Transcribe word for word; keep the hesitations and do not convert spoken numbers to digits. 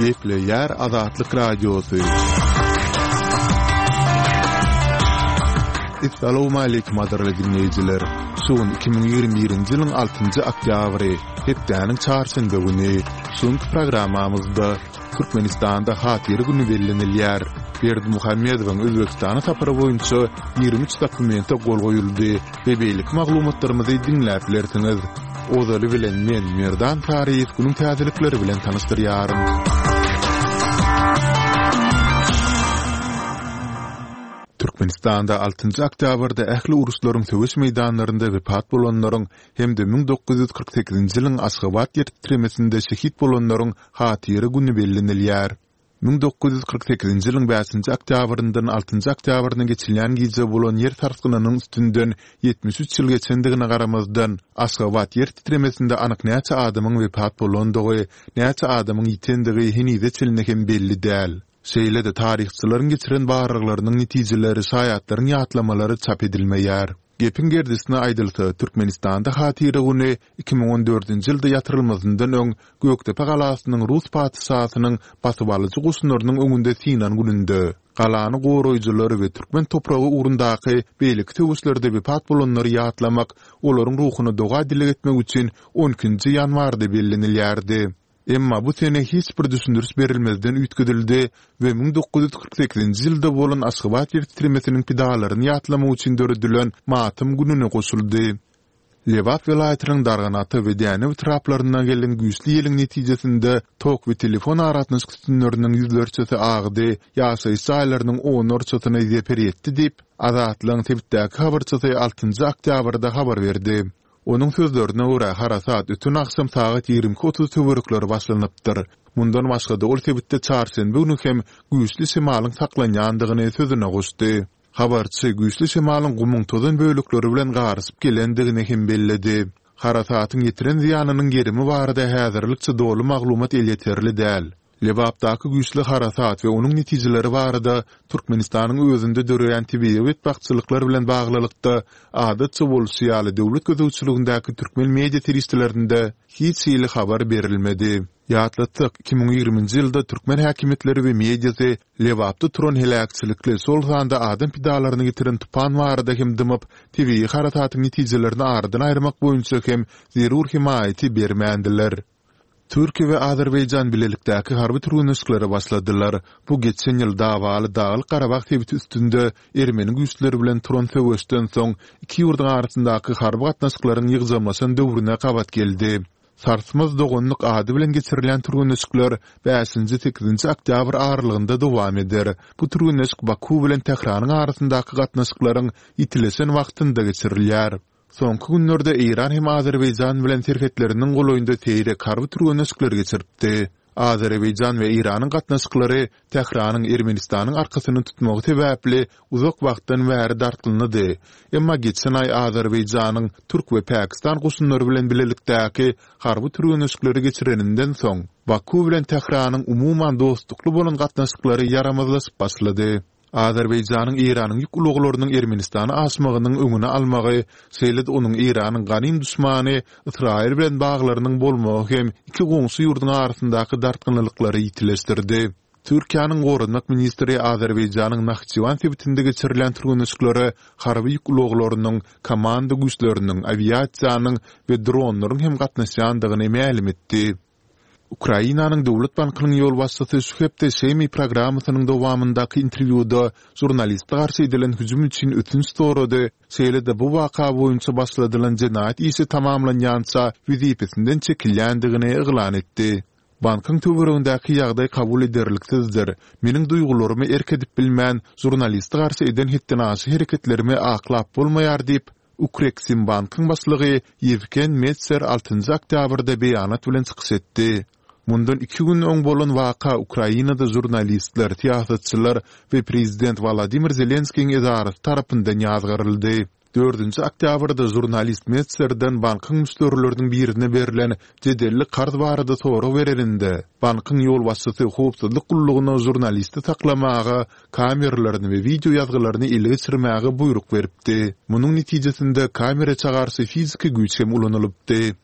Gepleýär Azatlyk Radiosy. Essalawmaleýkim gadyrly diňleýjiler! Şu gün iki müň ýigrimi birinji ýylyň altynjy oktýabry, hepdäniň çarşenbe güni. Şu günki programmamyzda Türkmenistanda Hatyra güni bellenilýär. Berdimuhamedowyň Özbegistana sapary boýunça ýigrimi üç dokumente gol goýuldy we beýleki maglumatlarymyzy diňläp bilersiňiz. Ozaly bilen men, Merdan Saryýew günüň täzelikleri bilen tanyşdyrýaryn. Türkmenistanda altynjy oktýabrda ähli uruşlaryň söweş meýdanlarynda wepat bolanlaryň hem-de müň dokuz ýüz kyrk sekizinji ýylyň Aşgabat ýer titremesinde şehit bolanlaryň hatyra güni bellenilýär. Müň dokuz ýüz kyrk sekizinji ýylyň bäşinji oktýabryndan altynjy oktýabryna geçilýän gije bolan ýer sarsgynynyň üstünden ýetmiş üç ýyl geçendigine garamazdan, Aşgabat ýer titremesinde anyk näçe adamyň wepat bolandygy, näçe adamyň ýitendigi henize çenli hem belli däl. Şeýle-de taryhçylaryň geçiren barlaglarynyň netijeleri, şaýatlaryň ýatlamalary çap edilmeýär. Gepiň gerdişine aýdylsa, Türkmenistanda Hatyra güni iki müň on dördünji ýylda ýatyrylmazyndan öň Gökdepe galasynyň rus patyşasynyň basybalyjy goşunlarynyň öňünde synan gününde, galany goraýjylary we türkmen topragy ugrundaky beýleki söweşlerde wepat bolanlary ýatlamak, olaryň ruhuna doga-dileg etmek üçin on ikinji ýanwarda bellenilýärdi. Emma bu sene hiç bir düşündiriş berilmezden üýtgedildi we müň dokuz ýüz kyrk sekizinji ýylda bolan Aşgabat ýer titremesiniň pidalaryny ýatlamak üçin döredilen matam gününe goşuldy. Lebap welaýatynyň Darganata we Dänew etraplaryndan gelen güýçli ýeliň netijesinde tok we telefon aragatnaşyk sütünleriniň ýüzlerçesi agdy, ýaşaýyş jaýlarynyň onlarçasyna zeper ýetdi diýip, Azatlygyň sebitdäki habarçysy altynjy oktýabrda habar berdi. Onuň sözlerine görä, harasat öten agşam sagat ýigrimi iki otuz töwerekleri başlanypdyr. Mundan başga-da, ol sebitde çarşenbe güni hem güýçli şemalyň saklanýandygyny sözüne goşdy. Habarçy güýçli şemalyň gumuň tozan bölekleri bilen garyşyp gelendigini hem belledi. Harasatyň ýetiren zyýanynyň gerimi barada häzirlikçe doly maglumat elýeterli däl. Lebapdaky güýçli harasat we onuň netijeleri barada Türkmenistanyň özünde döreýän tebigy betbagtçylyklar bilen baglylykda, adatça bolşy ýaly döwlet gözegçiligindäki türkmen media serişdelerinde hiç hili habar berilmedi. Ýatlatsak, iki müň ýigriminji ýylda türkmen häkimiýetleri we mediasy Lebapda turan heläkçilikli, şol sanda adam pidalaryny getiren tupan barada hem dymyp, tebigy harasatyň netijelerini aradan aýyrmak boýunça hem zerur hemaýaty bermändiler. Türkiýe we Azerbaýjan bilelikdäki harby türgenleşiklere başladylar. Bu geçen ýyl dawaly Daglyk-Garabag sebiti üstünde ermeni güýçleri bilen turan söweşden soň iki ýurduň arasyndaky harby gatnaşyklaryň ýygjamlaşan döwrüne gabat geldi. Sarsmaz doganlyk ady bilen geçirilýän türgenleşikler bäşinji-sekizinji oktýabr aralygynda dowam eder. Bu türgenleşik Baku bilen Tähranyň arasyndaky gatnaşyklaryň ýitileşen wagtynda geçirilýär. Soňky günlerde Eýran hem Azerbaýjan bilen serhetleriniň golaýynda seýrek harby türgenleşikleri geçiripdi. Azerbaýjan we Eýranyň gatnaşyklary Tähranyň Ermenistanyň arkasyny tutmagy sebäpli uzak wagtdan bäri dartgynlydy. Emma geçen aý Azerbaýjanyň türk we pakistan goşunlary bilen bilelikdäki harby türgenleşikleri geçireninden soň, Baku bilen Tähranyň umuman dostlukly bolan gatnaşyklary ýaramazlaşyp başlady. Azerbaýjanyň Eýranyň ýük ulaglarynyň Ermenistana aşmagynyň öňüni almagy, şeýle-de onuň Eýranyň ganym duşmany Ysraýyl bilen baglarynyň bolmagy hem iki goňşy ýurduň arasyndaky dartgynlylyklary ýitileşdirdi. Türkiýäniň goranmak ministri Azerbaýjanyň Nahçywan sebitinde geçirilýän türgenleşiklere harby ýük ulaglarynyň, komanda güýçleriniň, awiasiýanyň we dronlaryň hem gatnaşýandygyny mälim etdi. Ukrainanyň Döwlet bankynyň ýolbaşçysy şu hepde Şemi programmasynyň dowamyndaky interwýuda žurnaliste garşy edilen hüjüm üçin ötünç sorady, şeýle-de bu waka boýunça başladylan jenaýat işi tamamlanýança wezipesinden çekilýändigini yglan etdi. Bankyň töweregindäki ýagdaý kabul ederliksizdir. Meniň duýgularyma erk edip bilmän, žurnaliste garşy eden hetdenaşa hereketlerimi aklap bolmaýar diýip, Ukreksimbankyň başlygy Ýewgen Metser altynjy oktýabrda beýanat bilen çykyş etdi. Mundan iki gün öň bolan waka Ukrainada žurnalistler, syýasatçylar we prezident Wolodymyr Zelenskiýiň edarasy tarapyndan ýazgaryldy. Dördünji oktýabrda žurnalist Metserden bankyň müşderileriniň birine berlen jedelli karz barada sorag bereninde, bankyň ýolbaşçysy howpsuzlyk gullugyna žurnalisti saklamaga kameralaryny we wideo ýazgylaryny ele geçirmäge buýruk beripdi. Munuň netijesinde kameraça garşy fiziki güýç hem ulanylypdy.